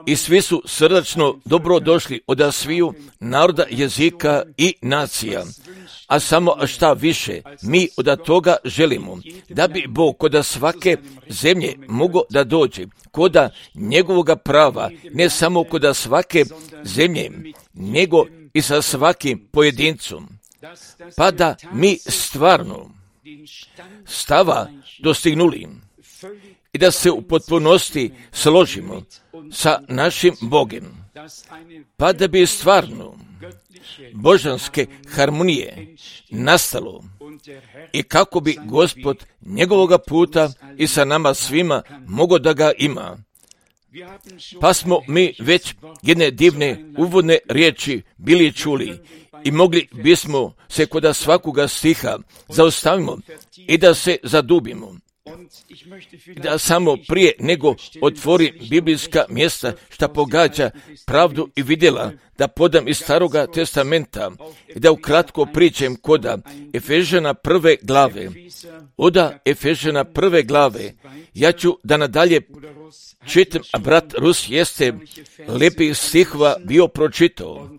I svi su srdačno dobrodošli od sviju naroda, jezika i nacija. A samo šta više, mi od toga želimo, da bi Bog kod svake zemlje mogao da dođe, kod njegovoga prava, ne samo kod svake zemlje, nego i sa svakim pojedincom. Pa da mi stvarno stava dostignuli i da se u potpunosti složimo sa našim Bogom, pa da bi stvarno božanske harmonije nastalo i kako bi Gospod njegovoga puta i sa nama svima mogao da ga ima. Pa smo mi već jedne divne uvodne riječi bili čuli i mogli bismo se kod svakoga stiha zaustavimo i da se zadubimo. Da samo prije nego otvori biblijska mjesta šta pogađa pravdu i vidjela, da podam iz Staroga testamenta i da ukratko pričam koda Efežana 1. glave. Oda Efežana 1. glave, ja ću da nadalje čitam, a brat Rus jeste lepih stihova bio pročitao.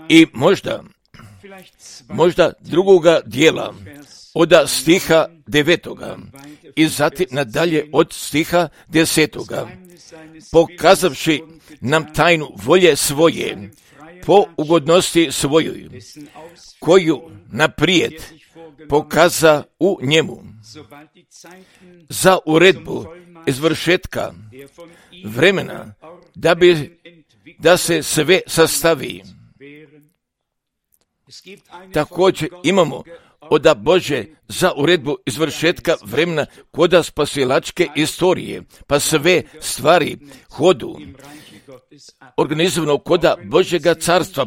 I možda drugoga dijela, od stiha 9. i zatim nadalje od stiha 10. Pokazavši nam tajnu volje svoje, po ugodnosti svojoj, koju naprijed pokaza u njemu, za uredbu izvršetka vremena, da se sve sastavi. Također imamo od Bože za uredbu izvršetka vremena koda spasilačke istorije, pa sve stvari hodu organizovano koda Božjega carstva,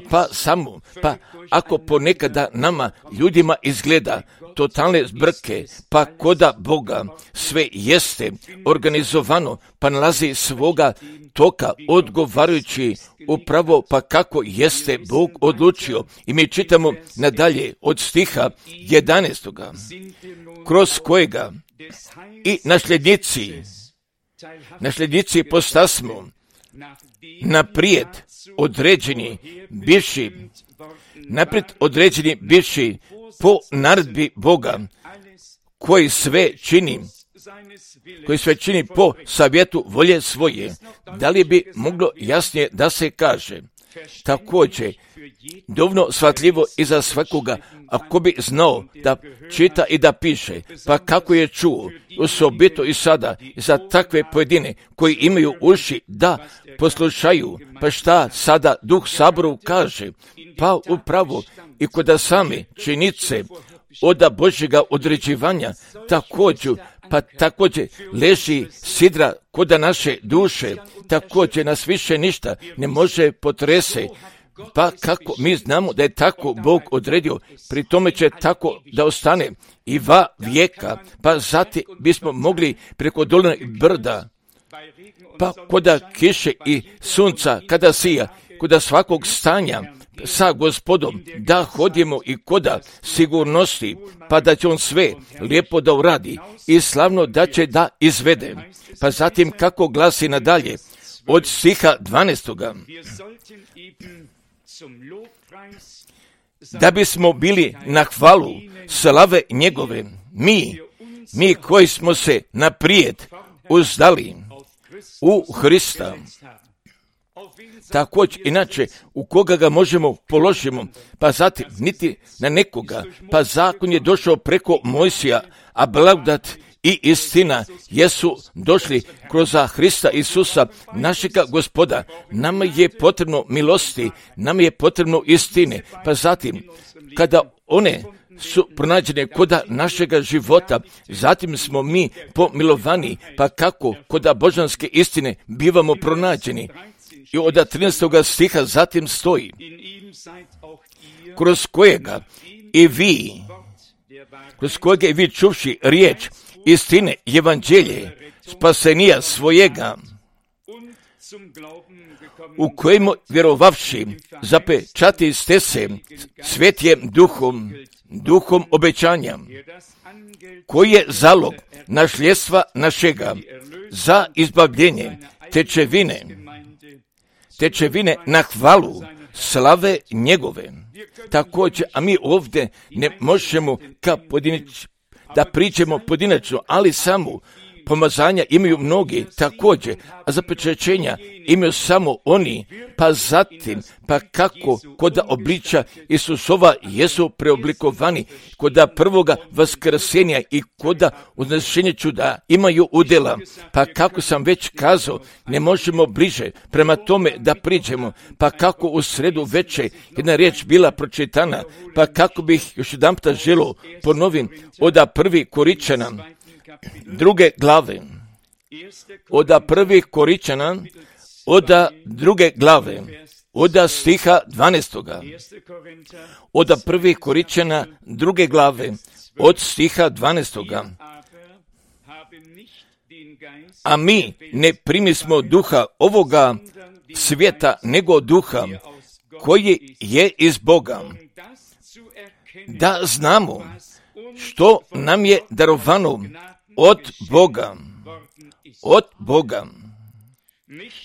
pa ako ponekada nama ljudima izgleda totalne zbrke, pa koda Boga sve jeste organizovano, pa nalazi svoga toka odgovarajući upravo pa kako jeste Bog odlučio. I mi čitamo nadalje od stiha 11. kroz kojega i nasljednici postasmo naprijed određeni bivši po naredbi Boga, koji sve čini po savjetu volje svoje. Da li bi moglo jasnije da se kaže? Također, dovoljno shvatljivo i za svakoga, ako bi znao da čita i da piše, pa kako je čuo, osobito i sada, za takve pojedine koji imaju uši da poslušaju, pa šta sada Duh Saboru kaže, pa upravo i kod same činice od Božjega određivanja, također leži sidra kod naše duše, također nas više ništa ne može potrese, pa kako mi znamo da je tako Bog odredio, pri tome će tako da ostane i va vijeka, pa zatim bismo mogli preko dolina i brda, pa koda kiše i sunca kada sija, koda svakog stanja sa Gospodom da hodimo i koda sigurnosti, pa da će on sve lijepo da uradi i slavno da će da izvede. Pa zatim kako glasi nadalje od stiha 12. Da bismo bili na hvalu slave njegove, mi koji smo se naprijed uzdali u Hrista. Također, inače, u koga ga možemo položimo, pa zatim niti na nekoga, pa zakon je došao preko Mojsija, a blagodat i istina jesu došli kroz Hrista Isusa, našega Gospoda. Nama je potrebno milosti, nama je potrebno istine, pa zatim, kada one su pronađene koda našega života, zatim smo mi pomilovani, pa kako koda božanske istine bivamo pronađeni. I od 13. stiha zatim stoji, kroz kojega i vi čuvši riječ istine evanđelje spasenija svojega, u kojemu vjerovavši zapečati ste se svetjem duhom obećanja, koji je zalog nasljedstva našega za izbavljenje tečevine na hvalu slave njegove. Također, a mi ovdje ne možemo da pričamo pojedinačno, ali samo pomazanja imaju mnogi također, a zapečaćenja imaju samo oni, pa zatim, pa kako kod obličja Isusova jesu preoblikovani, kod prvoga vaskrsenja i kod uznešenja čuda imaju udjela, pa kako sam već kazao, ne možemo bliže prema tome da priđemo, pa kako u sredu veče jedna riječ bila pročitana, pa kako bih još jedanputa želio ponovim od 1. Koričana, 2. glave, od 1. Koričana, od 2. glave, od stiha 12. Od 1. Koričana, 2. glave, od stiha 12. A mi ne primismo duha ovoga svijeta, nego duha koji je iz Boga, da znamo što nam je darovano od Boga.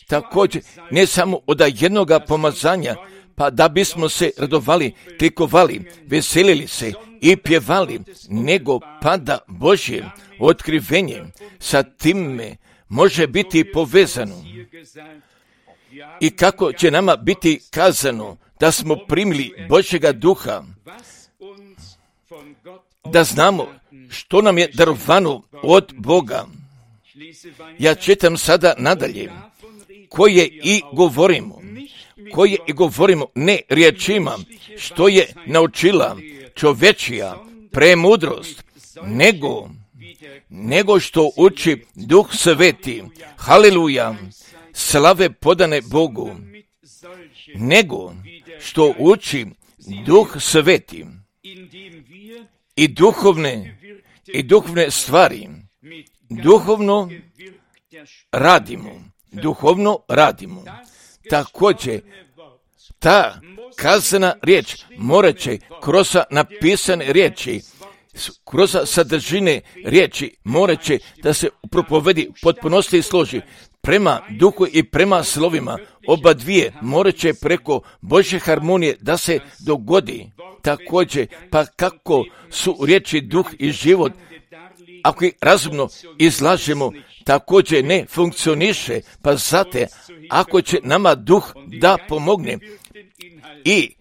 Također, ne samo od jednoga pomazanja, pa da bismo se radovali, klikovali, veselili se i pjevali, nego pa da Božje otkrivenje sa time može biti povezano. I kako će nama biti kazano da smo primili Božjega duha, da znamo što nam je darovano od Boga. Ja čitam sada nadalje, koje i govorimo ne riječima, što je naučila čovečija premudrost, nego što uči Duh Sveti, haleluja, slave podane Bogu, nego što uči Duh Sveti i duhovne stvari, duhovno radimo. Također, ta kazana riječ morat će kroz napisane riječi, kroz sadržine riječi morat će da se u propovedi potpunosti složi prema duhu i prema slovima. Oba dvije morat će preko Božje harmonije da se dogodi. Također, pa kako su riječi duh i život, ako ih razumno izlažemo, također ne funkcioniše, pa zate, ako će nama duh da pomogne i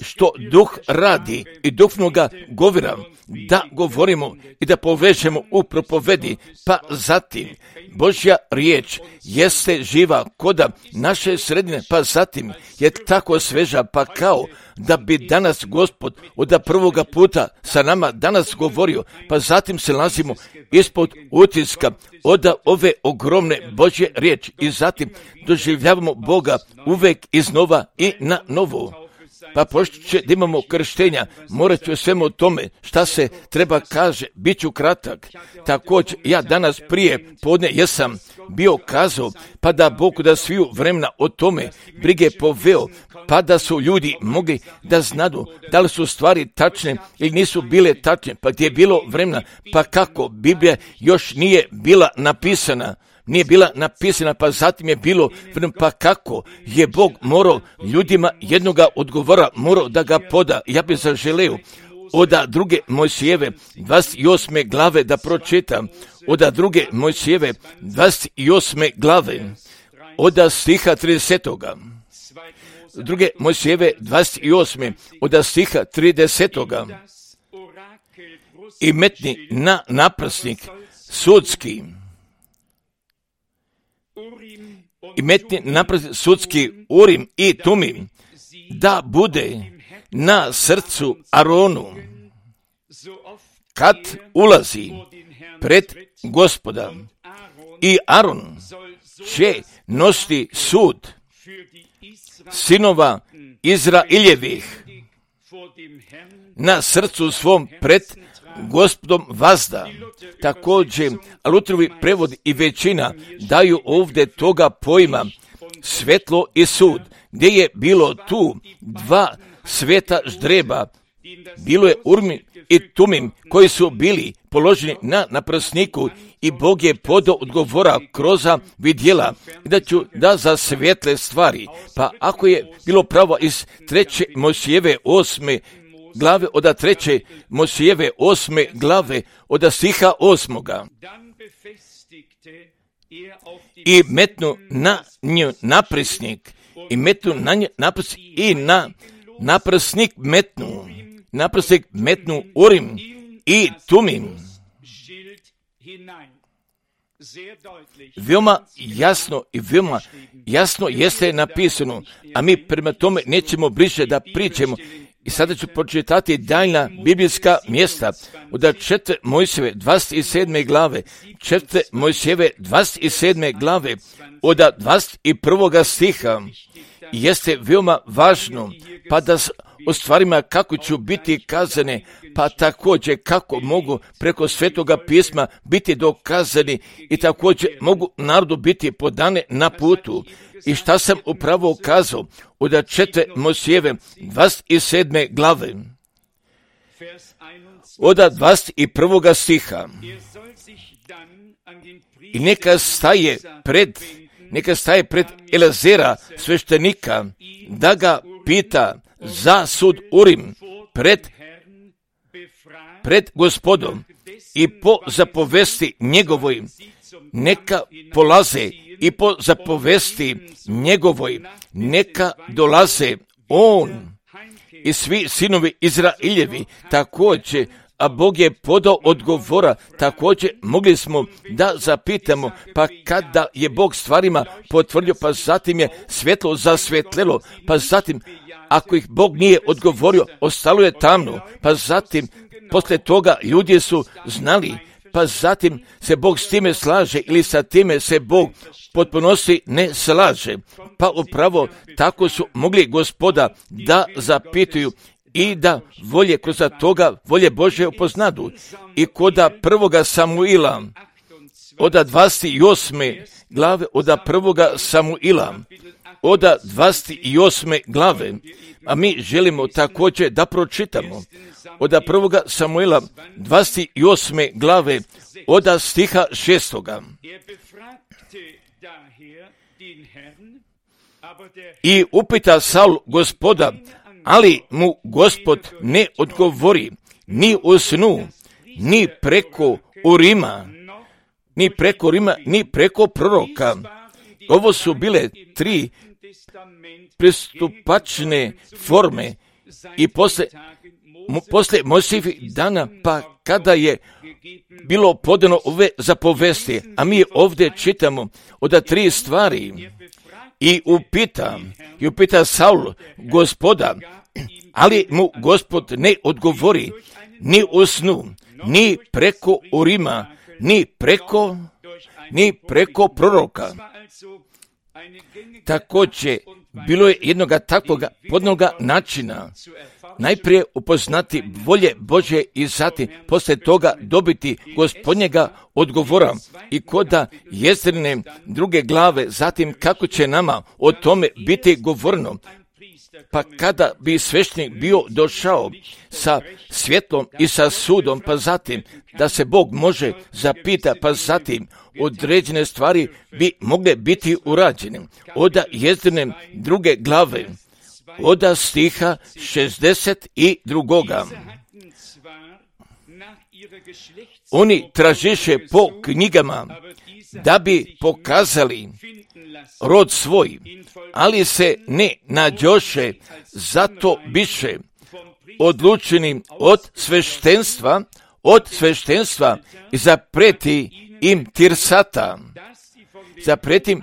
što duh radi i duhovnoga govora, da govorimo i da povežemo u propovedi, pa zatim Božja riječ jeste živa koda naše sredine, pa zatim je tako sveža, pa kao da bi danas Gospod od prvoga puta sa nama danas govorio, pa zatim se nalazimo ispod utiska od ove ogromne Božje riječi i zatim doživljavamo Boga uvek iznova i na novo. Pa pošto će da imamo krštenja, morat ću svemu tome šta se treba kaže, bit ću kratak. Također, ja danas prije podne jesam bio kazao, pa da Bog da sviju vremena o tome brige poveo, pa da su ljudi mogli da znadu da li su stvari tačne ili nisu bile tačne, pa gdje je bilo vremena, pa kako Biblija još nije bila napisana, pa zatim je bilo, pa kako je Bog morao ljudima jednoga odgovora, morao da ga poda. Ja bih zaželeo od 2. Mojsijeve 28. glave da pročitam, od 2. Mojsijeve 28. glave, od stiha 30. 2. Mojsijeve 28. od stiha 30. I metni na naprsnik sudski, i metni napred sudski Urim i Tumim, da bude na srcu Aronu, kad ulazi pred Gospoda. I Aron će nositi sud sinova Izraeljevih na srcu svom pred Gospodom vazda. Također, Lutrovi prevod i većina daju ovdje toga pojma svetlo i sud, gdje je bilo tu dva sveta ždreba, bilo je Urim i Tumim koji su bili položeni na prsniku i Bog je podao odgovora kroz vidjela da za svjetle stvari. Pa ako je bilo pravo iz 3. Mojsijeve 8. glave od 3. Mojsijeve 8. glave od stiha 8. I metnu na nju naprsnik i metnu na nju naprsnik i na naprsnik metnu Urim i Tumim. Veoma jasno jeste napisano, a mi prema tome nećemo bliže da pričamo. I sada ću pročitati daljna biblijska mjesta od 4. Mojsijeve 27. glave, 4. Mojsijeve 27. glave od 21. stiha. Jeste veoma važno, pa da o stvarima kako ću biti kazane, pa također kako mogu preko Svetoga pisma biti dokazani i također mogu narodu biti podane na putu. I šta sam upravo kazao od 4. Mojsijeve 27. glave od 21. stiha. I neka staje pred Elazera sveštenika da ga pita za sud Urim pred Gospodom i po zapovesti njegovoj neka polaze i po zapovesti njegovoj neka dolaze on i svi sinovi Izrailjevi također, a Bog je podao odgovora. Također mogli smo da zapitamo, pa kada je Bog stvarima potvrdio, pa zatim je svjetlo zasvjetlelo, pa zatim ako ih Bog nije odgovorio, ostalo je tamno, pa zatim poslije toga ljudi su znali, pa zatim se Bog s time slaže ili sa time se Bog potpunosti ne slaže. Pa upravo tako su mogli Gospoda da zapituju i da volje kroz toga volje Božje upoznadu. I kod 1. Samuila od 28. glave od 1. Samuila od 28. glave, a mi želimo također da pročitamo od 1. Samuila 28. glave od stiha 6. I upita Saul Gospoda, ali mu Gospod ne odgovori ni u snu, ni preko Urima, ni preko proroka. Ovo su bile 3 pristupačne forme i posle Mojsijevih dana, pa kada je bilo podano ove zapovesti, a mi ovdje čitamo od 3 stvari. I upita Saul Gospoda, ali mu Gospod ne odgovori ni u snu, ni preko Urima, ni preko proroka. Također, bilo je jednoga takvoga podnoga načina. Najprije upoznati volje Božje i zatim poslije toga dobiti Gospodnjega odgovora i koda Jezrine 2. glave, zatim kako će nama o tome biti govorno. Pa kada bi sveštenik bio došao sa svjetlom i sa sudom, pa zatim da se Bog može zapita, pa zatim određene stvari bi mogle biti urađene. Od Jezrine 2. glave, od stiha 62. Oni tražiše po knjigama da bi pokazali rod svoj, ali se ne nađoše, zato biše odlučeni od sveštenstva i zapreti im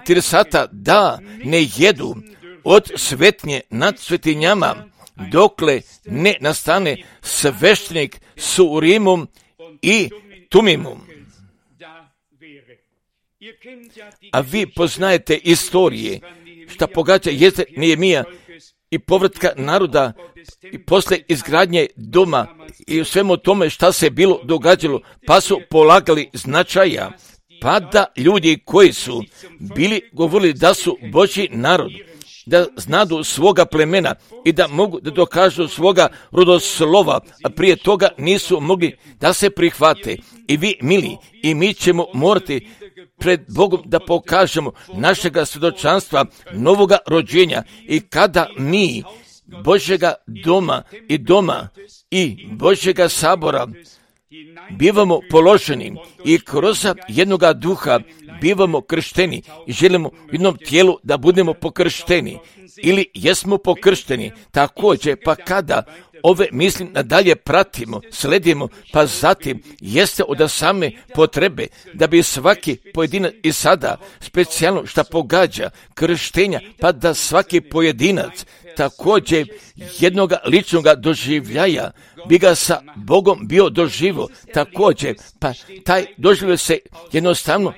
tirsata da ne jedu od svetnje nad svetinjama, dokle ne nastane sveštenik s Urimom i Tumimom. A vi poznajete istorije šta pogađa Nehemija i povratka naroda i posle izgradnje doma i u svemu tome šta se bilo događalo, pa su polagali značaja, pa da ljudi koji su bili govorili da su Božji narod, da znadu svoga plemena i da mogu da dokažu svoga rodoslova, a prije toga nisu mogli da se prihvate. I vi, mili, i mi ćemo morati pred Bogom da pokažemo našega svjedočanstva novoga rođenja. I kada mi Božjega doma i Božjega sabora bivamo položeni i kroz jednoga duha bivamo kršteni i želimo u jednom tijelu da budemo pokršteni ili jesmo pokršteni. Također, pa kada ove misli nadalje pratimo, sledimo, pa zatim jeste od same potrebe da bi svaki pojedinac i sada specijalno šta pogađa krštenja, pa da svaki pojedinac također jednoga ličnoga doživljaja bi ga sa Bogom bio doživo. Također, pa taj doživljaj se jednostavno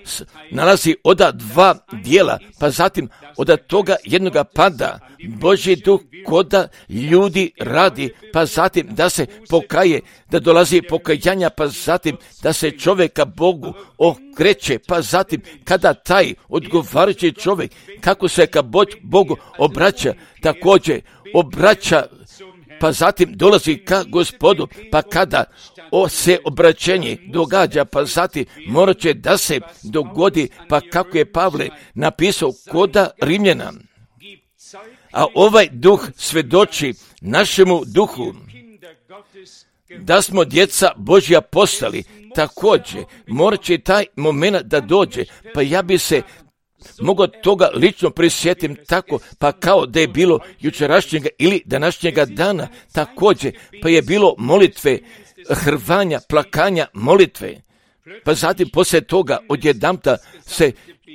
nalazi od dva dijela, pa zatim od toga jednoga pada Božji duh koda ljudi radi, pa zatim da se pokaje, da dolazi pokajanja, pa zatim da se čovjeka Bogu okreće, pa zatim kada taj odgovarajući čovjek kako se ka Bogu obraća, također obraća, pa zatim dolazi ka Gospodu, pa kada se obraćenje događa, pa zatim morat će da se dogodi, pa kako je Pavle napisao koda Rimljana. A ovaj duh svedoči našemu duhu da smo djeca Božja postali. Također, morat će taj moment da dođe, pa ja bi se mogao toga lično prisjetim tako, pa kao da je bilo jučerašnjega ili današnjega dana, također, pa je bilo molitve, hrvanja, plakanja, molitve. Pa zatim poslije toga odjedanput se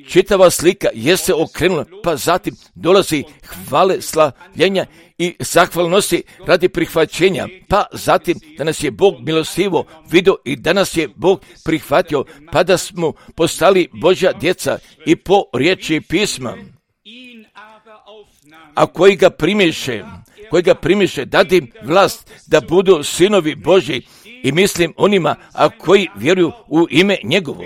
čitava slika jeste okrenula, pa zatim dolazi hvale, slavljenja i zahvalnosti radi prihvaćenja, pa zatim da nas je Bog milostivo vidio i da nas je Bog prihvatio, pa da smo postali Božja djeca i po riječi pisma. A koji ga primiše, dadi im vlast da budu sinovi Božji, i mislim onima koji vjeruju u ime njegovo.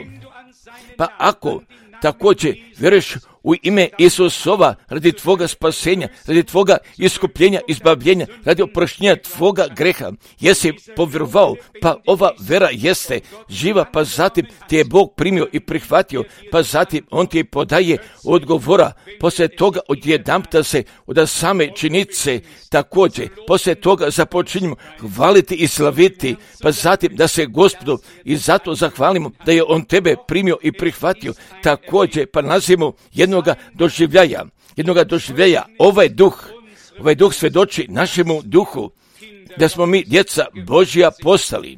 Pa ako također vjeruješ u ime Isusova radi tvoga spasenja, radi tvoga iskupljenja, izbavljenja, radi oproštenja tvoga greha, jesi povjerovao, pa ova vera jeste živa, pa zatim ti je Bog primio i prihvatio, pa zatim on ti podaje odgovora. Poslije toga odjedanputa se od same činice također, poslije toga započinjemo hvaliti i slaviti, pa zatim da se Gospodu i zato zahvalimo da je on tebe primio i prihvatio. Također pa nazivamo jednoga doživljaja, ovaj duh svedoči našemu duhu da smo mi djeca Božja postali.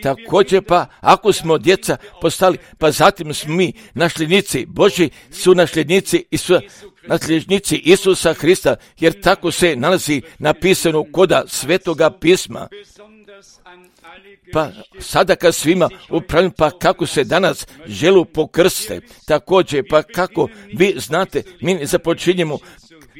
Također pa ako smo djeca postali, pa zatim smo mi nasljednici Božji, su nasljednici Isusa Hrista, jer tako se nalazi napisano koda Svetoga pisma. Pa sada kad svima upravljam, pa kako se danas želu pokrste, također pa kako vi znate, mi ne započinjemo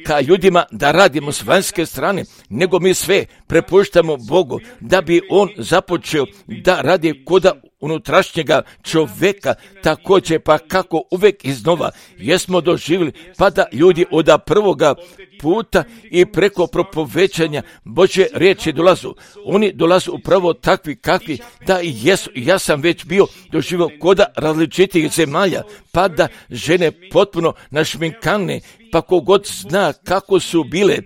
ka ljudima da radimo s vanjske strane, nego mi sve prepuštamo Bogu da bi on započeo da radi koda unutrašnjega čovjeka. Također pa kako uvijek iznova jesmo doživjeli, pa da ljudi od prvoga puta i preko propovećanja Božje riječi dolazu. Oni dolazu upravo takvi kakvi da i jesu. Ja sam već bio doživio koda različitih zemalja, pa da žene potpuno našminkane, pa kogod zna kako su bile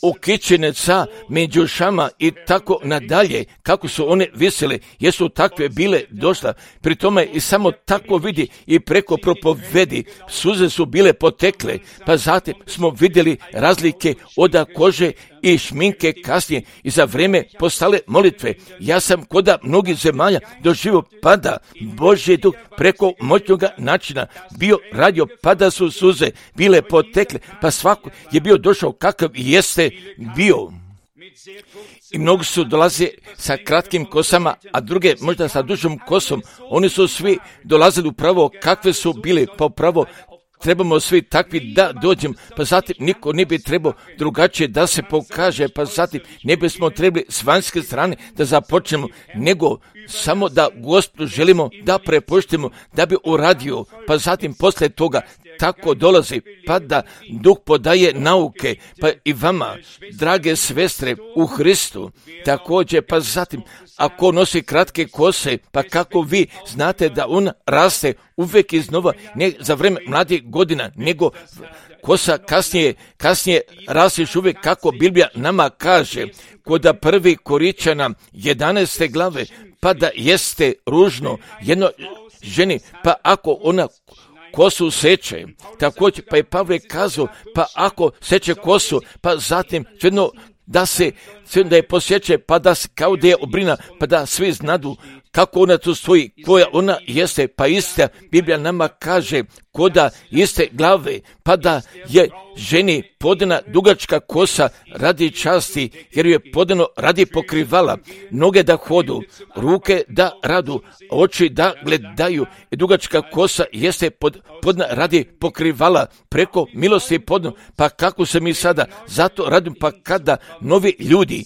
ukićene sa međušama i tako nadalje, kako su one visele, jesu takve bile došla. Pri tome i samo tako vidi i preko propovedi, suze su bile potekle, pa zatim smo vidjeli razlike od kože i šminke kasnije i za vrijeme postale molitve. Ja sam koda mnogih zemalja doživio pada Božji duh preko moćnoga načina bio radio, pada su suze bile potekle, pa svako je bio došao kakav jeste bio. I mnogi su dolaze sa kratkim kosama, a druge možda sa dužom kosom. Oni su svi dolazili upravo kakve su bile, pa upravo trebamo svi takvi da dođemo, pa zatim niko ne bi trebao drugačije da se pokaže, pa zatim ne bismo trebali s vanjske strane da započnemo, nego samo da Gospodu želimo da prepuštimo, da bi uradio, pa zatim poslije toga tako dolazi, pa da Duh podaje nauke, pa i vama, drage svestre u Hristu, također, pa zatim, ako nosi kratke kose, pa kako vi znate da on raste uvijek iznova, ne za vrijeme mladih godina, nego kosa kasnije rasteš uvijek, kako Biblija nama kaže, kod prvi Koričana 11. glave, pa da jeste ružno jedno ženi, pa ako ona kosu seče, također, pa je Pavle kazao, pa ako seče kosu, pa zatim jedno da je posjeće, pa da se kao da je obrina, pa da svi znadu kako ona tu stoji, koja ona jeste, pa ista Biblija nama kaže, koda iste glave, pa da je ženi podana dugačka kosa radi časti, jer je podano radi pokrivala, noge da hodu, ruke da radu, oči da gledaju, i dugačka kosa jeste podana radi pokrivala, preko milosti podano, pa kako se mi sada zato radimo, pa kada novi ljudi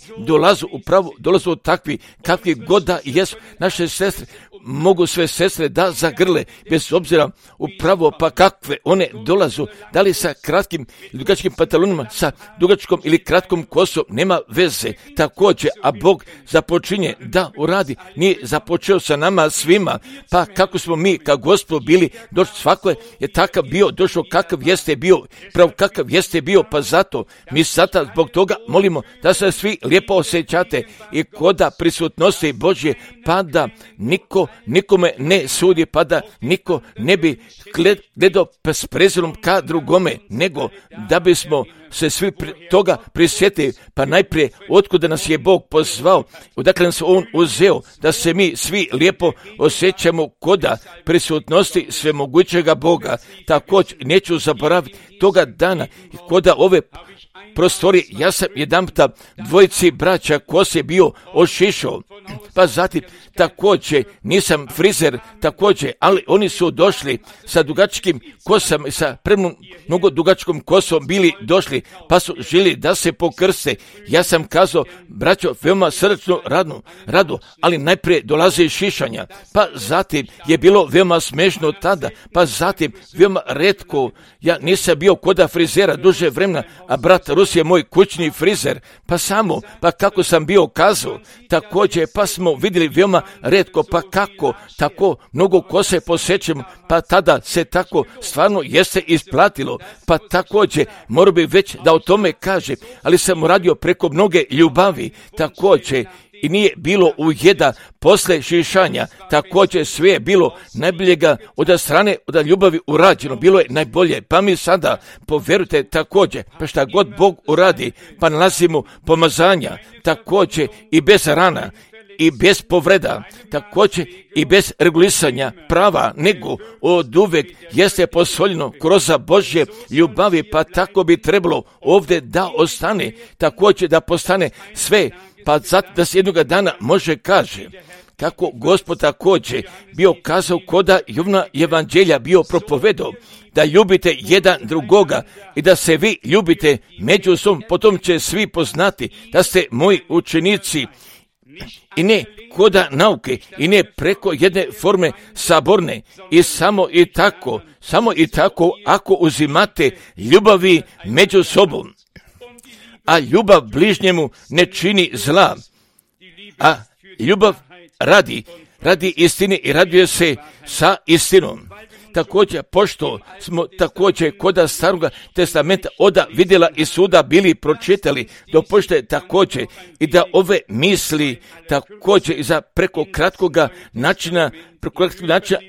dolazu takvi, kakvi god da jesu, naše sestre, mogu sve sestre da zagrle, bez obzira upravo pa kakve one dolazu, da li sa kratkim i dugačkim pantalonima, sa dugačkom ili kratkom kosom, nema veze, također, a Bog započinje da uradi, nije započeo sa nama svima, pa kako smo mi kao Gospod bili, došli, svako je takav bio, došao kakav jeste bio, prav kakav jeste bio, pa zato mi sada zbog toga molimo da se svi lijepo osjećate i koda prisutnosti Božje, pa da nikome ne sudi, pa da niko ne bi gledao s prezirom ka drugome, nego da bismo se svi toga prisjetili, pa najprije otkuda nas je Bog pozvao, odakle nas On uzeo, da se mi svi lijepo osjećamo koda prisutnosti svemogućega Boga. Također neću zaboraviti toga dana, koda ove prostori, ja sam jedanputa dvojici braća kose bio ošišao, pa zatim također nisam frizer, također, ali oni su došli sa dugačkim kosama, sa mnogo dugačkom kosom bili došli, pa su želi da se pokrste. Ja sam kazao, braćo, veoma srčno rado, ali najprije dolaze šišanja, pa zatim je bilo veoma smešno tada, pa zatim veoma retko, ja nisam bio koda frizera duže vremena, a brat Rus je moj kućni frizer, pa kako sam bio kazao, također, pa smo vidjeli veoma retko, pa kako tako mnogo kose posjećemo, pa tada se tako stvarno jeste isplatilo, pa također morao bi već da o tome kaže, ali sam radio preko mnoge ljubavi, također, i nije bilo ujeda posle šišanja, također sve je bilo najboljega od strane, od ljubavi urađeno, bilo je najbolje, pa mi sada, povjerujte također, pa šta god Bog uradi, pa nalazimo pomazanja, također i bez rana, i bez povreda, također i bez regulisanja prava, nego od uvek jeste posoljeno kroz Božje ljubavi, pa tako bi trebalo ovdje da ostane, također da postane sve, pa zato da se jednoga dana može kaže, kako Gospod također bio kazao koda Jovna evanđelja bio propovedao, da ljubite jedan drugoga i da se vi ljubite međusobno, potom će svi poznati da ste moji učenici, i ne koda nauke, i ne preko jedne forme saborne, i samo i tako ako uzimate ljubavi među sobom, a ljubav bližnjemu ne čini zla, a ljubav radi istine i raduje se sa istinom. Također, pošto smo također koda Staroga testamenta oda vidjela i suda bili pročitali, dopušte također i da ove misli također i za preko kratkoga načina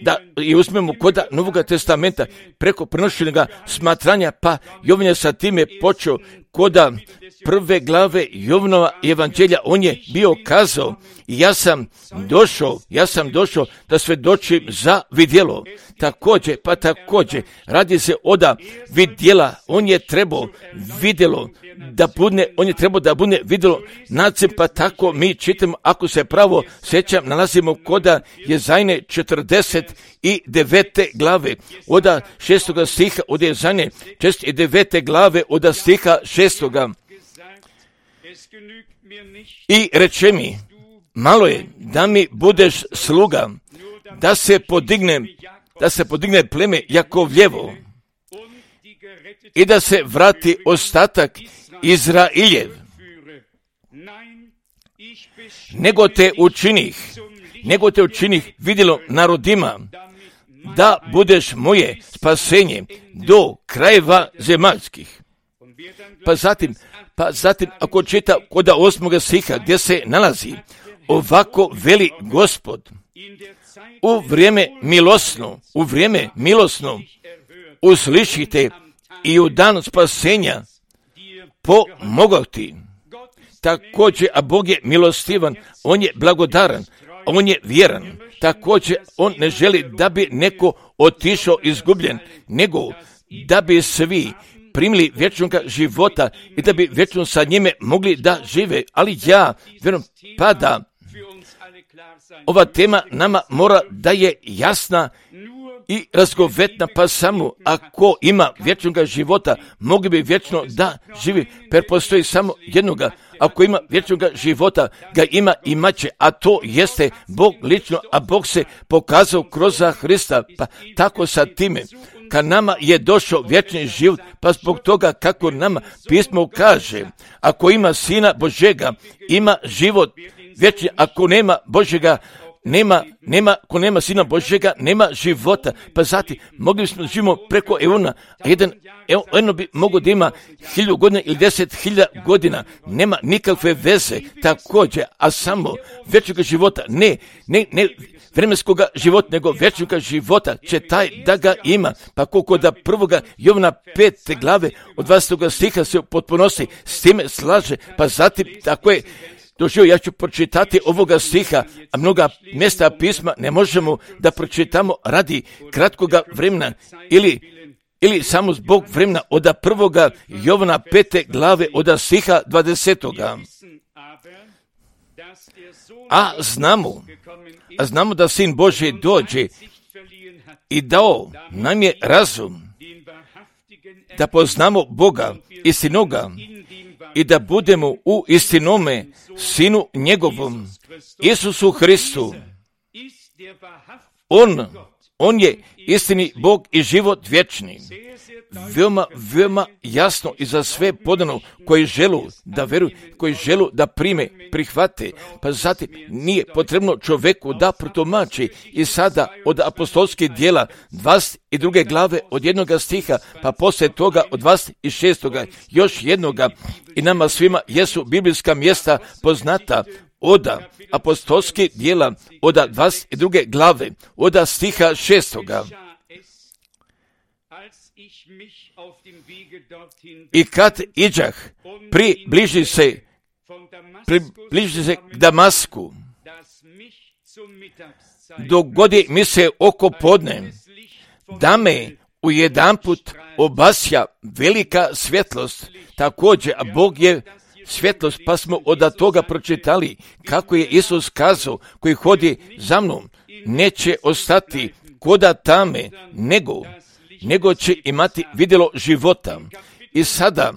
da i uzmemo koda Novoga testamenta preko prenošenja smatranja, pa Jovan je sa time počeo koda prve glave Jovanova evanđelja, on je bio kazao, ja sam došao da svedočim za vidjelo. Također, radi se oda vidjela, on je trebao vidjelo da bude vidjelo nacem, pa tako mi čitamo, ako se pravo sjećam, nalazimo koda Jezajne 49. glave, oda 6. stiha, od Jezajne 49. glave, oda stiha 6. I reče mi, malo je da mi budeš sluga, da se podigne pleme Jakovljevo i da se vrati ostatak Izrailjev. Nego te učinih vidjelo narodima, da budeš moje spasenje do krajeva zemaljskih. Pa zatim ako čita kod 8. stiha gdje se nalazi, ovako veli Gospod, u vrijeme milosno uslišite i u dan spasenja pomogao ti. Također, a Bog je milostivan, on je blagodaran, on je vjeran. Također, on ne želi da bi neko otišao izgubljen, nego da bi svi primili vječnog života i da bi vječno sa njime mogli da žive. Ali ja vjerujem pa da ova tema nama mora da je jasna i razgovetna, pa samo ako ima vječnog života, mogli bi vječno da živi, jer postoji samo jednoga. Ako ima vječnog života, ga ima i maće, a to jeste Bog lično, a Bog se pokazao kroz Hrista, pa tako sa time. Kad nama je došao vječni život, pa zbog toga kako nama pismo kaže, ako ima Sina Božjega, ima život vječni, ako nema Božjega, ako nema Sina Božjega, nema života. Pa zatim, mogli smo živimo preko eona, a jedno bi mogo da ima 1000 godina ili 10.000 godina, nema nikakve veze, također, a samo vječnog života, ne vremenskog života, nego vječnog života će taj da ga ima. Pa koliko da 1. Jovana 5. glave od 20. stiha se potpunosti s time slaže, pa zatim tako je doživio, ja ću pročitati ovoga stiha, a mnoga mjesta pisma ne možemo da pročitamo radi kratkoga vremena ili samo zbog vremena od 1. Jovana 5. glave od stiha 20. A znamo da Sin Božji dođe i dao nam je razum da poznamo Boga istinoga i da budemo u istinome Sinu njegovom, Isusu Hristu. On je istini Bog i život vječni. Veoma jasno i za sve podano koji želu da veruju, koji želu da prihvate. Pa zatim nije potrebno čovjeku da protumači. I sada od apostolskih djela 22. glave od 1. stiha, pa poslije toga od 26. još jednoga, i nama svima jesu biblijska mjesta poznata od apostolskih djela od 22. glave od stiha 6. I kad iđah, približi se k Damasku, dogodi mi se oko podne, da me ujedanput obasja velika svjetlost. Također, a Bog je svjetlost, pa smo od toga pročitali kako je Isus kazao, koji hodi za mnom, neće ostati koda tame, nego će imati vidjelo života. I sada,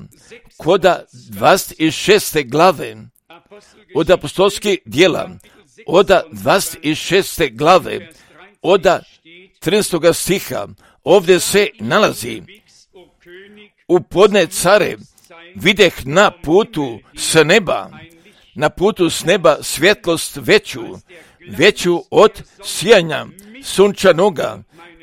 koda 26. glave od apostolskih djela, od 26. glave, od 13. stiha, ovdje se nalazi: u podne care videh na putu s neba svjetlost veću od sijanja sunčanoga,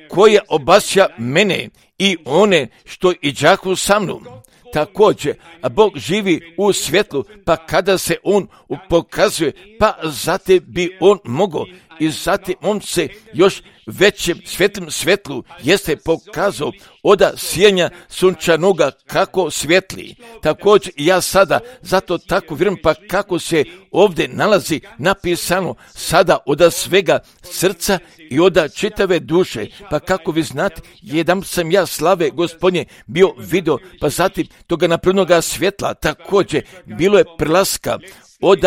koja obasja mene i one što iđahu sa mnom. Također, a Bog živi u svjetlu, pa kada se on pokazuje, pa zatim bi on mogao, i zatim on se još većem svjetlu jeste pokazao od sijanja sunčanoga kako svjetli. Također ja sada zato tako vjerujem, pa kako se ovdje nalazi napisano sada od svega srca i od čitave duše, pa kako vi znate, jedan sam ja slave Gospodnje bio vidio, pa zatim toga napravljenoga svjetla. Također bilo je prelaska od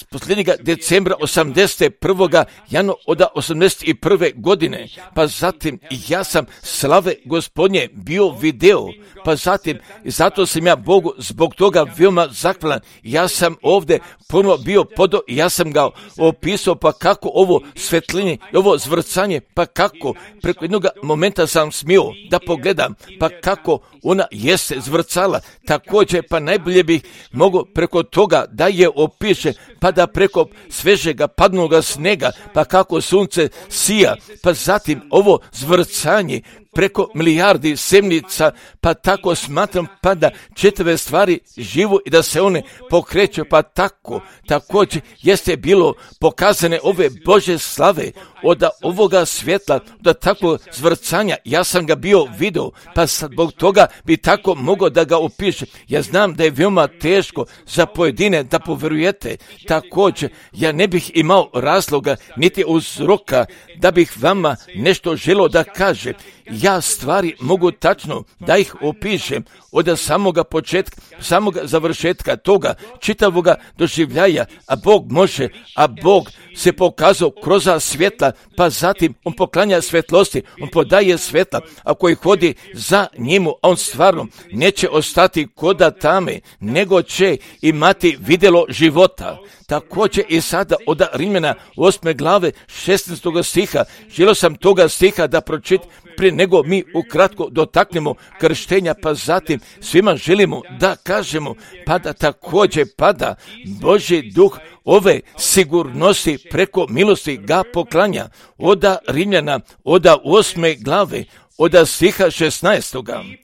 posljednjega decembra 81. januara od 81. godine, pa zatim ja sam slave Gospodnje od nje bio video, pa zatim, zato sam ja Bogu zbog toga veoma zahvalan. Ja sam ovdje ponovo bio podo, ja sam ga opisao, pa kako ovo svetlinje, ovo zvrcanje, pa kako preko jednog momenta sam smio da pogledam, pa kako ona jeste zvrcala. Također, pa najbolje bih mogao preko toga da je opiše, pa da preko svežega padnoga snega, pa kako sunce sija, pa zatim ovo zvrcanje preko milijardi semnica, pa tako smatram, pa da čitave stvari živu i da se one pokreću, pa tako, također jeste bilo pokazane ove Bože slave od ovoga svjetla, da tako zvrcanja, ja sam ga bio vidio, pa zbog toga bi tako mogao da ga opiše. Ja znam da je veoma teško za pojedine da poverujete, također ja ne bih imao razloga niti uzroka da bih vama nešto želio da kaže. Ja stvari mogu tačno da ih opišem od samoga početka, samoga završetka toga čitavoga doživljaja, a Bog može, a Bog se pokazao kroz svjetla, pa zatim on poklanja svetlosti, on podaje svetla, a koji hodi za njemu, a on stvarno neće ostati koda tame, nego će imati vidjelo života. Također i sada od Rimljana 8. glave 16. stiha, želio sam toga stiha da pročitam prije nego mi ukratko dotaknemo krštenja, pa zatim svima želimo da kažemo, pa da također pada Božji duh ove sigurnosti preko milosti ga poklanja od Rimljana, od 8. glave, od stiha 16.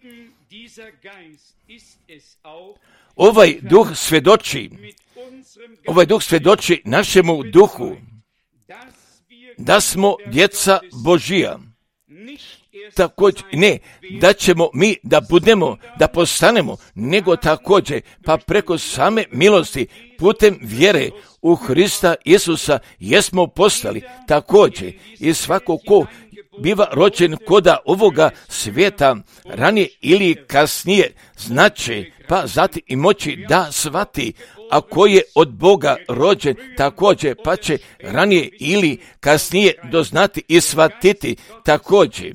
Ovaj duh svjedoči našemu duhu da smo djeca Božija. Također, ne da ćemo mi da budemo, da postanemo, nego također, pa preko same milosti, putem vjere u Hrista Isusa, jesmo postali također. I svako ko biva rođen koda ovoga svijeta, ranije ili kasnije, znači, pa zatim i moći da shvati, a ko je od Boga rođen, također, pa će ranije ili kasnije doznati i shvatiti također.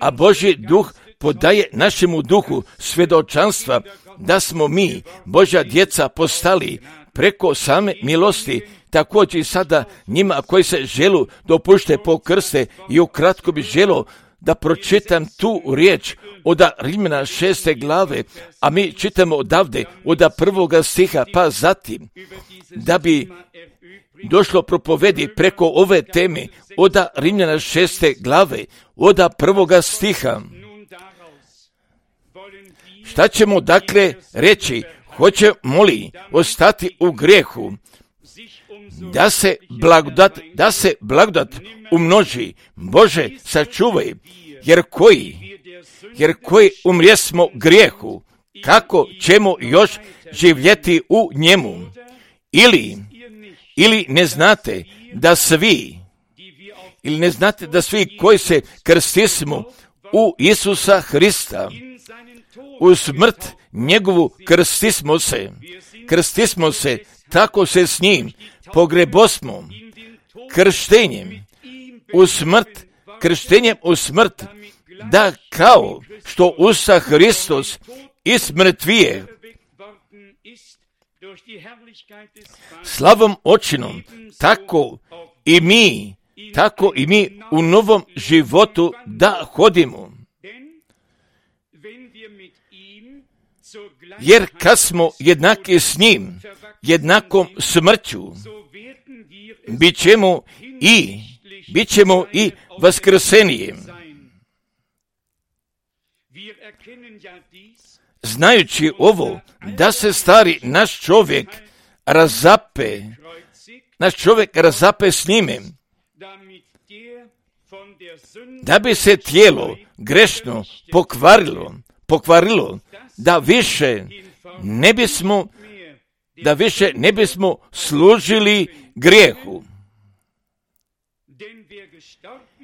A Božji duh podaje našemu duhu svjedočanstva da smo mi, Božja djeca, postali preko same milosti. Također i sada njima koji se želu dopušte po krste, i ukratko bi želio da pročitam tu riječ od Rimljana 6. glave, a mi čitamo odavde od 1. stiha, pa zatim da bi došlo propovedi preko ove teme od Rimljana 6. glave, od 1. stiha. Šta ćemo dakle reći? Hoćemo li ostati u grijehu, da se blagodat umnoži? Bože, sačuvaj, jer koji umrijesmo grijehu, kako ćemo još živjeti u njemu? Ili ne znate da svi koji se krstismo u Isusa Hrista, u smrt njegovu krstismo se, tako se s njim pogrebosmo krštenjem u smrt, da kao što Usa Hristos ismrtvije slavom očinom, tako i mi u novom životu da hodimo. Jer kad smo jednaki s njim, jednakom smrću, bit ćemo i vaskrsenijem. Znajući ovo, da se stari naš čovjek razape s njime, da bi se tijelo grešno pokvarilo, da više ne bismo služili grijehu.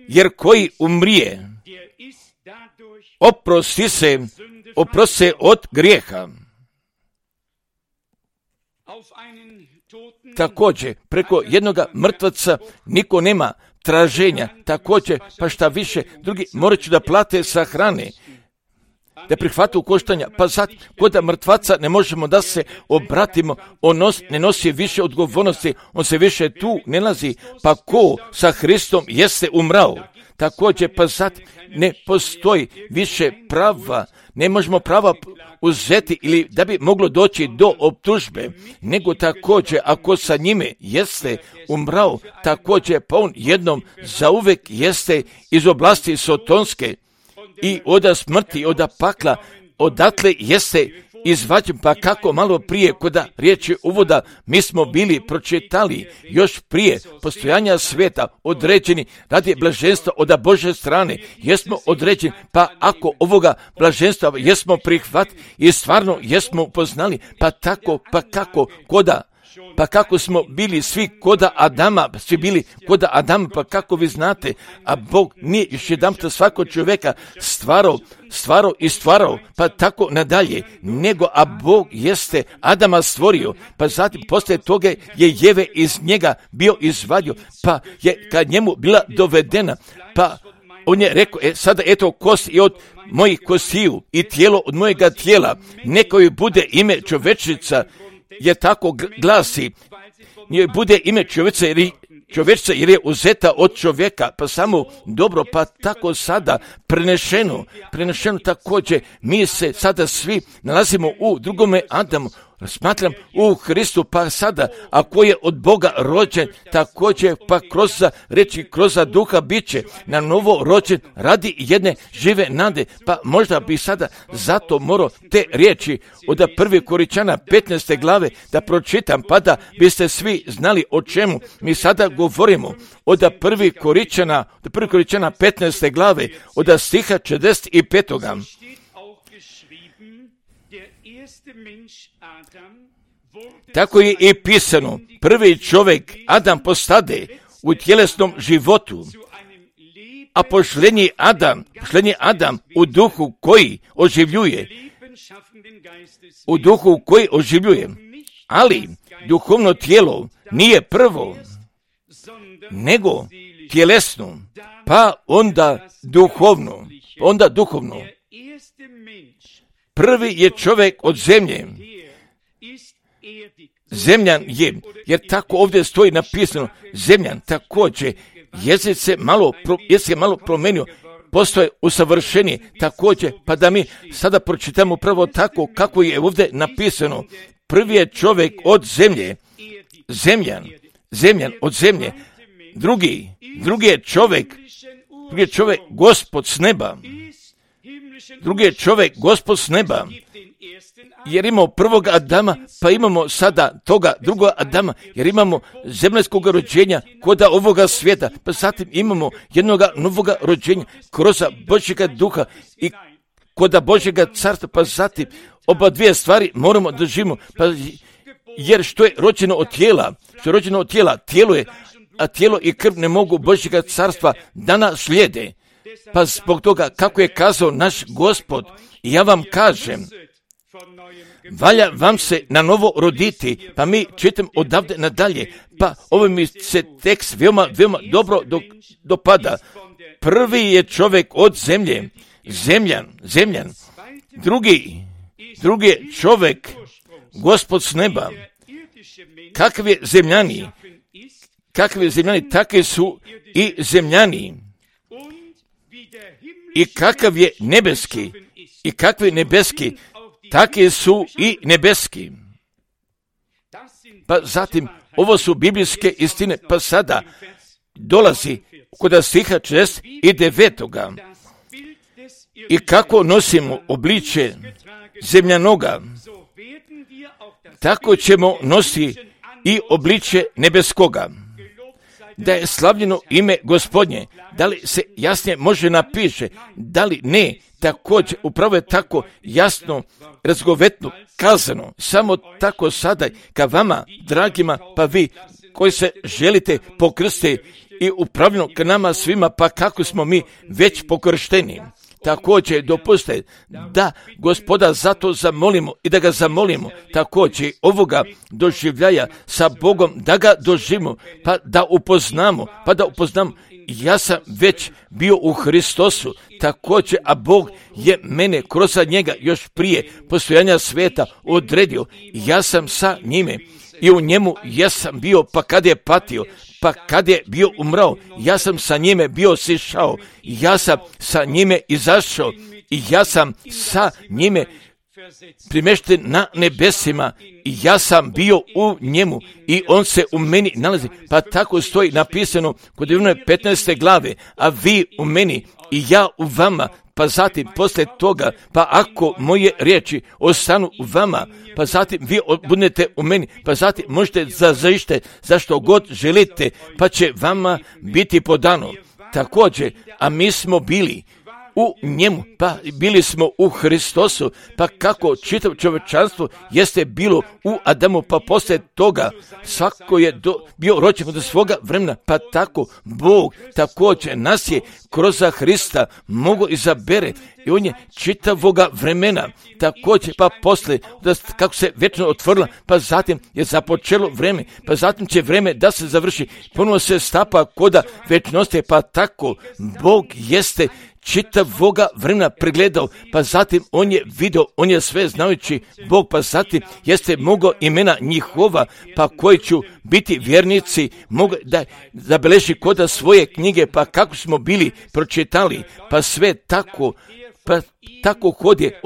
Jer koji umrije, oprosti se od grijeha. Također, preko jednoga mrtvaca niko nema traženja. Također, pa šta više, drugi morat će da plate sahrane. da prihvatu koštanja, pa sad kod mrtvaca ne možemo da se obratimo, on ne nosi više odgovornosti, on se više tu ne nalazi, pa ko sa Hristom jeste umrao. Također, pa sad ne postoji više prava, ne možemo prava uzeti ili da bi moglo doći do optužbe, nego također ako sa njime jeste umrao, također pa on jednom zauvek jeste iz oblasti sotonske i oda smrti, oda pakla, odatle jeste izvađen, pa kako malo prije koda riječi uvoda mi smo bili pročitali još prije postojanja svijeta određeni radi blaženstva od Božje strane, jesmo određeni, pa ako ovoga blaženstva jesmo prihvatili i stvarno jesmo upoznali, pa tako, pa kako koda, pa kako smo bili svi koda Adama, svi bili koda Adama, pa kako vi znate, a Bog nije još jedanput svakog čovjeka stvarao, pa tako nadalje, nego a Bog jeste Adama stvorio, pa zatim poslije toga je Jeve iz njega bio izvadio, pa je kad njemu bila dovedena, pa on je rekao, sada eto kost i od mojih kostiju i tijelo od mojega tijela, neka joj bude ime čovječica, jer tako glasi, njoj bude ime čovječica jer je uzeta od čovjeka, pa samo dobro, pa tako sada prenešeno također, mi se sada svi nalazimo u drugome Adamu, smatram u Hristu, pa sada, ako je od Boga rođen, također, pa kroz duha bit će na novo rođen radi jedne žive nade, pa možda bi sada zato morao te riječi od 1. Korinčana 15. glave da pročitam, pa da biste svi znali o čemu mi sada govorimo. Od 1. Korinčana 15. glave, od stiha 45. Tako je i pisano, prvi čovjek Adam postade u tjelesnom životu, a pošljenji Adam u duhu koji oživljuje, ali duhovno tijelo nije prvo, nego tjelesno, pa onda duhovno. Prvi je čovjek od zemlje, zemljan je, jer tako ovdje stoji napisano, zemljan također, jezik se malo promenio, postoje usavršenije također, pa da mi sada pročitamo prvo tako kako je ovdje napisano, prvi je čovjek od zemlje, zemljan od zemlje, drugi je čovjek Gospod s neba, jer imamo prvog Adama, pa imamo sada toga drugoga Adama, jer imamo zemaljskog rođenja koda ovoga svijeta, pa zatim imamo jednoga novoga rođenja kroz Božjega duha i koda Božjega carstva, pa zatim oba dvije stvari moramo držimo, pa jer što je rođeno od tijela, tijelo je, a tijelo i krv ne mogu Božjega carstva da nas slijede. Pa zbog toga, kako je kazao naš Gospod, ja vam kažem, valja vam se na novo roditi, pa mi čitam odavde nadalje, pa ovo mi se tekst veoma dobro dopada. Prvi je čovjek od zemlje, zemljan, drugi je čovjek Gospod s neba. Kakvi zemljani, takvi su i zemljani. I kakav je nebeski, i kakvi nebeski, takvi su i nebeski. Pa zatim, ovo su biblijske istine, pa sada dolazi kod stiha 49. I kako nosimo obličje zemljanoga, tako ćemo nositi i obličje nebeskoga. Da je slavljeno ime Gospodnje, da li se jasnije može napiše, da li ne, također upravo je tako jasno, razgovetno kazano, samo tako sada ka vama, dragima, pa vi koji se želite pokrstiti i upravljeno k nama svima, pa kako smo mi već pokršteni. Također dopustite da Gospoda zato zamolimo i da ga zamolimo također ovoga doživljaja sa Bogom, da ga doživimo, pa da upoznamo ja sam već bio u Hristosu, također, a Bog je mene kroz njega još prije postojanja svijeta odredio. Ja sam sa njime i u njemu ja sam bio, pa kad je patio, pa kad je bio umrao, ja sam sa njime bio sišao, ja sam sa njime izašao i ja sam sa njime primješten na nebesima i ja sam bio u njemu i on se u meni nalazi. Pa tako stoji napisano kod Ivana 15. glave, a vi u meni i ja u vama. Pa zatim poslije toga, pa ako moje riječi ostanu u vama, pa zatim vi budete u meni, pa zatim možete zažište zašto god želite, pa će vama biti podano. Također, a mi smo bili u njemu, pa bili smo u Hristosu, pa kako čitav čovječanstvo jeste bilo u Adamu, pa poslije toga svako je bio rođen od svoga vremena, pa tako Bog također nas je kroz Hrista mogo izabere i on je čitavoga vremena također, pa poslije kako se vječno otvorila, pa zatim je započelo vreme, pa zatim će vreme da se završi, ponovo se stapa koda vječnosti, pa tako Bog jeste čitavoga vremena pregledao, pa zatim on je vidio, on je sve znajući Bog, pa zatim jeste mogao imena njihova, pa koji ću biti vjernici, mogu da zabeleži koda svoje knjige, pa kako smo bili pročitali, pa sve tako, pa tako hodje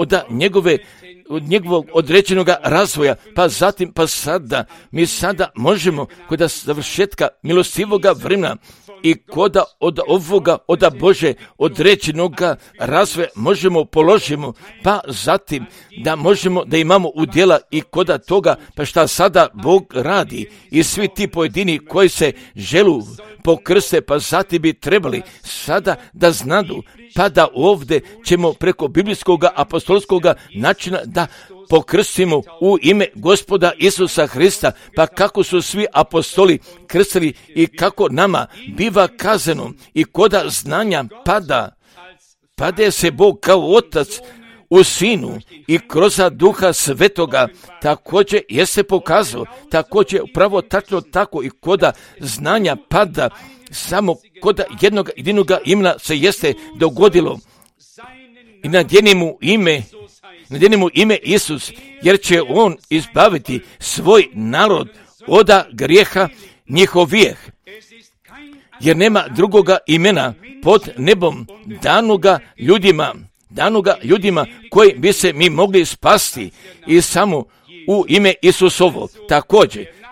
od njegovog određenog razvoja, pa zatim, pa sada, mi sada možemo kod završetka milostivoga vremena i koda od ovoga, od Bože određenog razvoja možemo položimo, pa zatim da možemo da imamo udjela i koda toga, pa šta sada Bog radi i svi ti pojedini koji se želu pokrste, pa zatim bi trebali sada da znadu, pa da ovdje ćemo preko biblijskog apostolskog načina da pokrstimo u ime Gospoda Isusa Hrista, pa kako su svi apostoli krstili i kako nama biva kazano i koda znanja pada se Bog kao Otac u Sinu i kroz Duha Svetoga također jeste pokazao, također upravo tačno tako i koda znanja pada samo koda jednog jedinog imena se jeste dogodilo i nadjenimo ime Isus, jer će on izbaviti svoj narod od grijeha njihovih. Jer nema drugoga imena pod nebom danoga ljudima koji bi se mi mogli spasti i samo u ime Isusovo.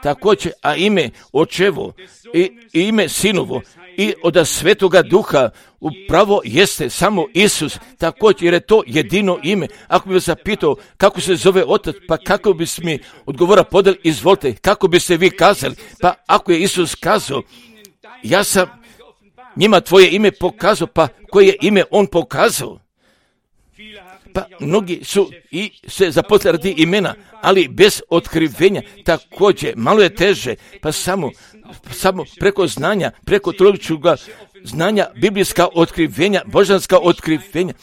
Također, a ime Očevo i ime Sinovo i od Svetoga Duha upravo jeste samo Isus, također, jer je to jedino ime. Ako bi vas zapitao kako se zove Otac, pa kako bi mi odgovora podali, izvolite, kako bi se vi kazali, pa ako je Isus kazao, ja sam njima tvoje ime pokazao, pa koje je ime on pokazao? Pa mnogi su i se zaposlili radi imena, ali bez otkrivenja, također, malo je teže, pa samo preko znanja, preko teološkog znanja, biblijska otkrivenja, božanska otkrivenja,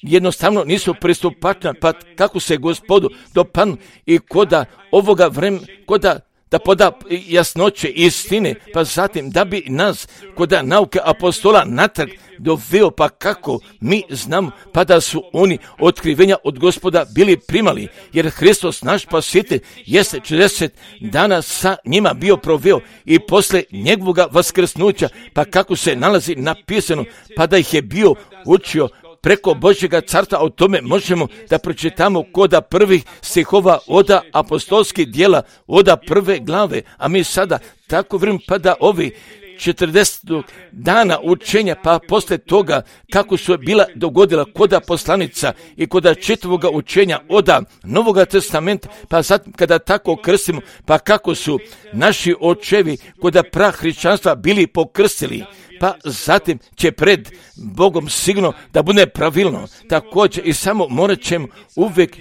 jednostavno nisu pristupačna, pa kako se Gospodu dopadnu i koda ovoga vremena, koda da poda jasnoće i istine, pa zatim da bi nas koda nauke apostola natrag doveo, pa kako mi znamo, pa da su oni otkrivenja od Gospoda bili primali, jer Hristos naš spasitelj jeste 40 dana sa njima bio proveo i posle njegovog vaskrsnuća, pa kako se nalazi napisano, pa da ih je bio učio preko Božjega carstva. O tome možemo da pročitamo koda prvih stihova od apostolskih djela, od prve glave, a mi sada tako vrijeme, pa da ovi 40 dana učenja, pa posle toga kako su bila dogodila koda poslanica i koda čitavoga učenja od Novoga testamenta, pa zatim kada tako krstimo, pa kako su naši očevi koda prahrišćanstva bili pokrstili, pa zatim će pred Bogom sigurno da bude pravilno. Također i samo morat ćemo uvijek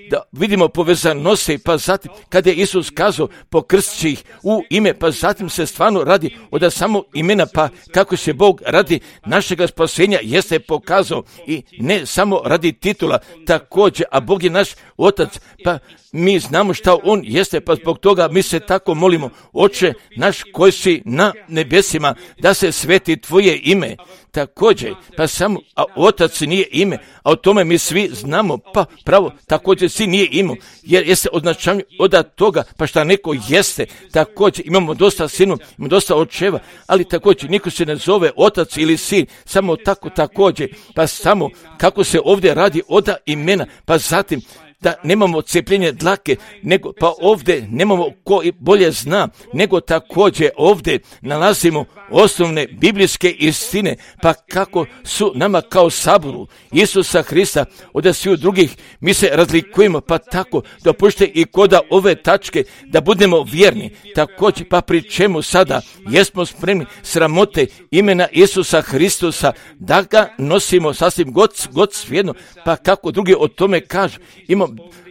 da vidimo povezanose, pa zatim kada je Isus kazao pokrstići ih u ime, pa zatim se stvarno radi od samo imena, pa kako se Bog radi našega spasenja jeste pokazao i ne samo radi titula, također, a Bog je naš Otac, pa mi znamo šta on jeste, pa zbog toga mi se tako molimo: Oče naš koji si na nebesima, da se sveti slaviti tvoje ime. Također, pa samo otac nije ime, a o tome mi svi znamo, pa pravo, također si nije ime, jer jeste označavanje od toga, pa šta neko jeste, također imamo dosta sinu, imamo dosta očeva, ali također niko se ne zove otac ili sin, samo tako također, pa samo kako se ovdje radi od imena, pa zatim da nemamo cepljenje dlake, nego pa ovdje nemamo ko bolje zna, nego također ovdje nalazimo osnovne biblijske istine, pa kako su nama kao saboru Isusa Hrista od svih drugih, mi se razlikujemo, pa tako dopušte i koda ove tačke da budemo vjerni, također pa pri čemu sada jesmo spremni sramote imena Isusa Hristusa da ga nosimo sasvim god svijedno, pa kako drugi o tome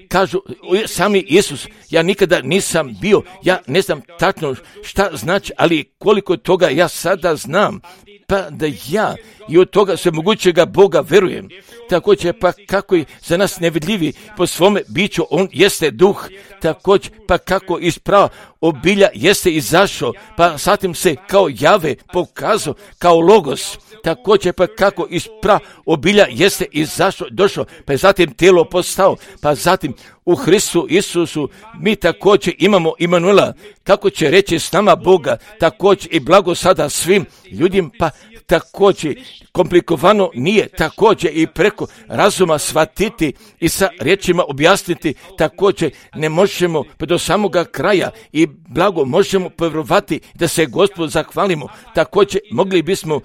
kažu sami Isus, ja nikada nisam bio, ja ne znam tačno šta znači, ali koliko toga ja sada znam, pa da ja i od toga svemogućega Boga verujem. Također pa kako je za nas nevidljivi po svome biću, on jeste duh, također pa kako iz prava obilja jeste izašao, pa zatim se kao Jave pokazao, kao Logos, također pa kako iz prava obilja jeste izašao, došao, pa je zatim tijelo postao, pa zatim u Hristu Isusu mi također imamo Imanuela, kako će reći s nama Boga, također i blago sada svim ljudima, pa također komplikovano nije, također i preko razuma shvatiti i sa riječima objasniti, također ne možemo pa do samoga kraja i blago možemo povjerovati da se Gospodu zahvalimo, također mogli bismo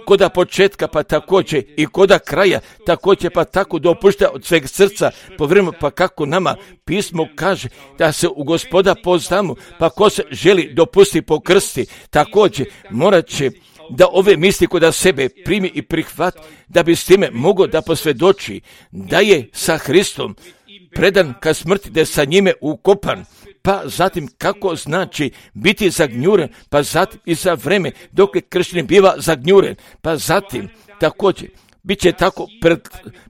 koda početka pa također i koda kraja, također pa tako dopušta od sveg srca povjerujemo, pa kako nama pismo kaže da se u Gospoda poznamo, pa ko se želi dopusti pokrsti, također morat će da ove misli kod sebe primi i prihvati, da bi s time mogao da posvjedoči da je sa Hristom predan ka smrti, da je sa njime ukopan, pa zatim kako znači biti zagnjuren, pa zatim i za vreme dok je kršćanin biva zagnjuren, pa zatim također bit će tako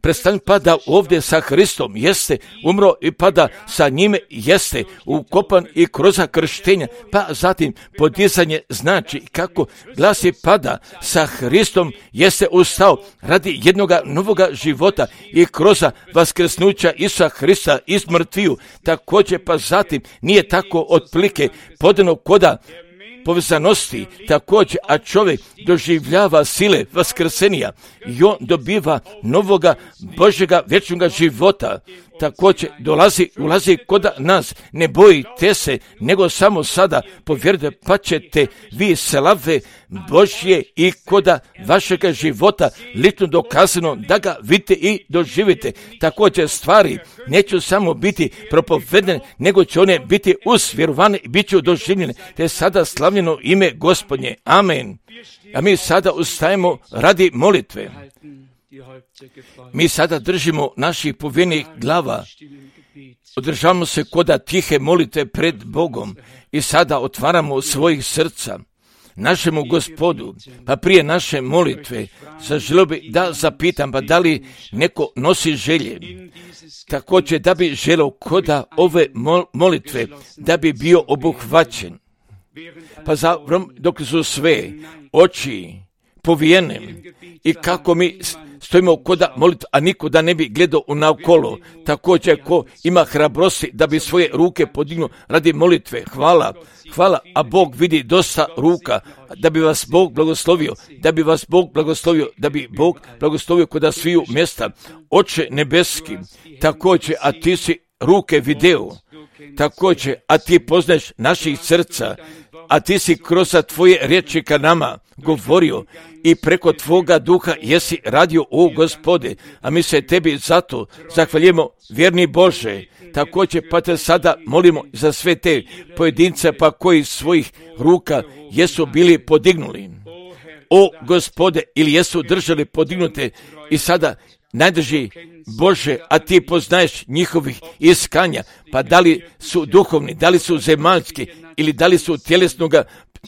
predstavljen, pa da ovdje sa Hristom jeste umro i pa da sa njime jeste ukopan i kroz krštenja, pa zatim podizanje znači kako glasi pada sa Hristom jeste ustao radi jednoga novoga života i kroz vaskrsnuća Isusa Hrista iz mrtviju, također pa zatim nije tako otprilike podano koda povezanosti, također, a čovjek doživljava sile vaskrsenija i on dobiva novoga Božjega vječnoga života. Također ulazi kod nas, ne bojite se, nego samo sada povjerujte, pa ćete vi slave Božje i koda vašega života lično dokazano da ga vidite i doživite. Također stvari neće samo biti propovedene, nego će one biti usvjerovane i bit će doživljene. Te sada slavljeno ime Gospodnje. Amen. A mi sada ustajemo radi molitve. Mi sada držimo naših povjerenih glava, održavamo se koda tihe molite pred Bogom i sada otvaramo svojih srca našemu Gospodu. Pa prije naše molitve zaželio bi da zapitam, pa da li neko nosi želje, također da bi želio koda ove molitve da bi bio obuhvaćen. Pa dok su sve oči povijene i kako mi stojimo koda molitva, a niko da ne bi gledao naokolo, također ko ima hrabrosti da bi svoje ruke podignuo radi molitve, hvala, a Bog vidi dosta ruka, da bi vas Bog blagoslovio, da bi Bog blagoslovio koda sviju mjesta. Oče nebeski, također, a ti si ruke video, također, a ti poznaješ naših srca, a ti si kroz tvoje riječi ka nama govorio i preko tvoga duha jesi radio, o Gospode, a mi se tebi zato zahvaljujemo, vjerni Bože. Također pa te sada molimo za sve te pojedince pa koji svojih ruka jesu bili podignuli, o Gospode, ili jesu držali podignute i sada najdrži Bože, a ti poznaješ njihovih iskanja, pa da li su duhovni, da li su zemaljski ili da li su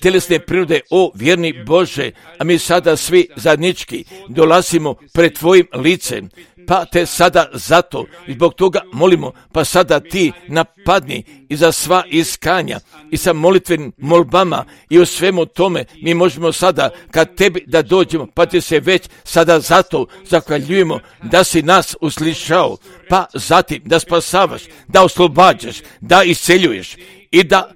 tjelesne prirode, o vjerni Bože, a mi sada svi zajednički dolazimo pred tvojim licem, pa te sada zato i zbog toga molimo, pa sada ti napadni i za sva iskanja i sa molitvenim molbama i u svemu tome mi možemo sada kad tebi da dođemo, pa ti se već sada zato zahvaljujemo da si nas uslišao, pa zatim da spasavaš, da oslobađaš, da isceljuješ i da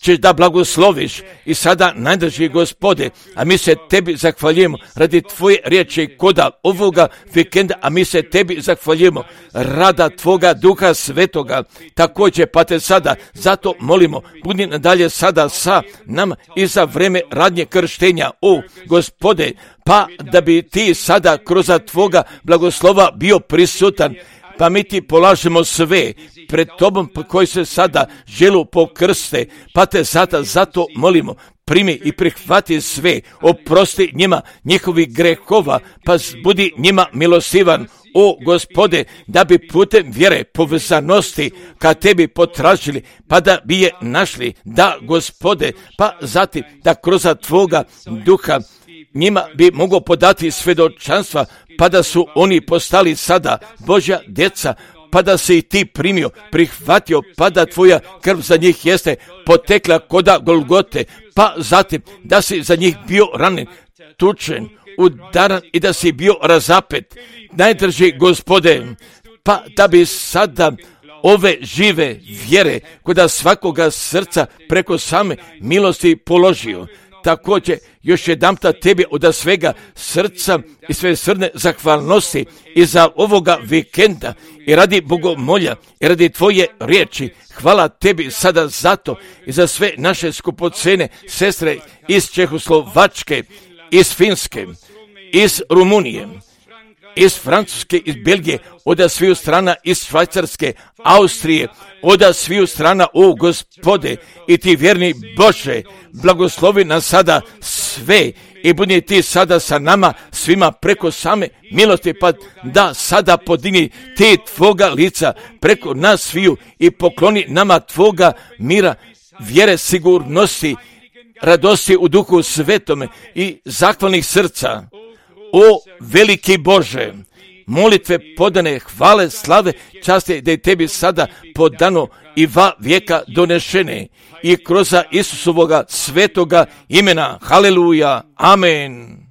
ćeš da blagosloviš i sada najdrži Gospode, a mi se tebi zahvaljujemo radi tvoje riječi koda ovoga vikenda, a mi se tebi zahvaljujemo rada tvoga Duha Svetoga, također pa te sada zato molimo, budi nadalje sada sa nama i za vreme radnje krštenja, o Gospode, pa da bi ti sada kroz tvoga blagoslova bio prisutan, pa mi ti polažemo sve pred tobom koji se sada želu pokrste, pa te sada zato molimo, primi i prihvati sve, oprosti njima njihovih grehova, pa budi njima milostivan, o Gospode, da bi putem vjere povezanosti ka tebi potražili, pa da bi je našli, da Gospode, pa zatim da kroz tvoga Duha njima bi mogao podati svjedočanstva, pa da su oni postali sada Božja djeca, pa da se i ti primio, prihvatio, pa da tvoja krv za njih jeste potekla koda Golgote, pa zatim da si za njih bio ranjen, tučen, udaran i da si bio razapet. Najdrži Gospode, pa da bi sada ove žive vjere koda svakoga srca preko same milosti položio. Također, još jedanputa tebi od svega srca i sve srne zahvalnosti i za ovoga vikenda i radi bogomolja i radi tvoje riječi. Hvala tebi sada zato i za sve naše skupocene sestre iz Čehoslovačke, iz Finske, iz Rumunije, iz Francuske, iz Belgije, od sviju strana, iz Švajcarske, Austrije, od sviju strana, o Gospode, i ti vjerni Bože, blagoslovi nas sada sve i budi ti sada sa nama svima preko same milosti, pa da sada podini ti tvoga lica preko nas sviju i pokloni nama tvoga mira, vjere, sigurnosti, radosti u Duhu Svetome i zahvalnih srca. O veliki Bože, molitve podane, hvale, slave, časti da je tebi sada podano i va vijeka donešene i kroz Isusovoga svetoga imena. Haleluja, amen.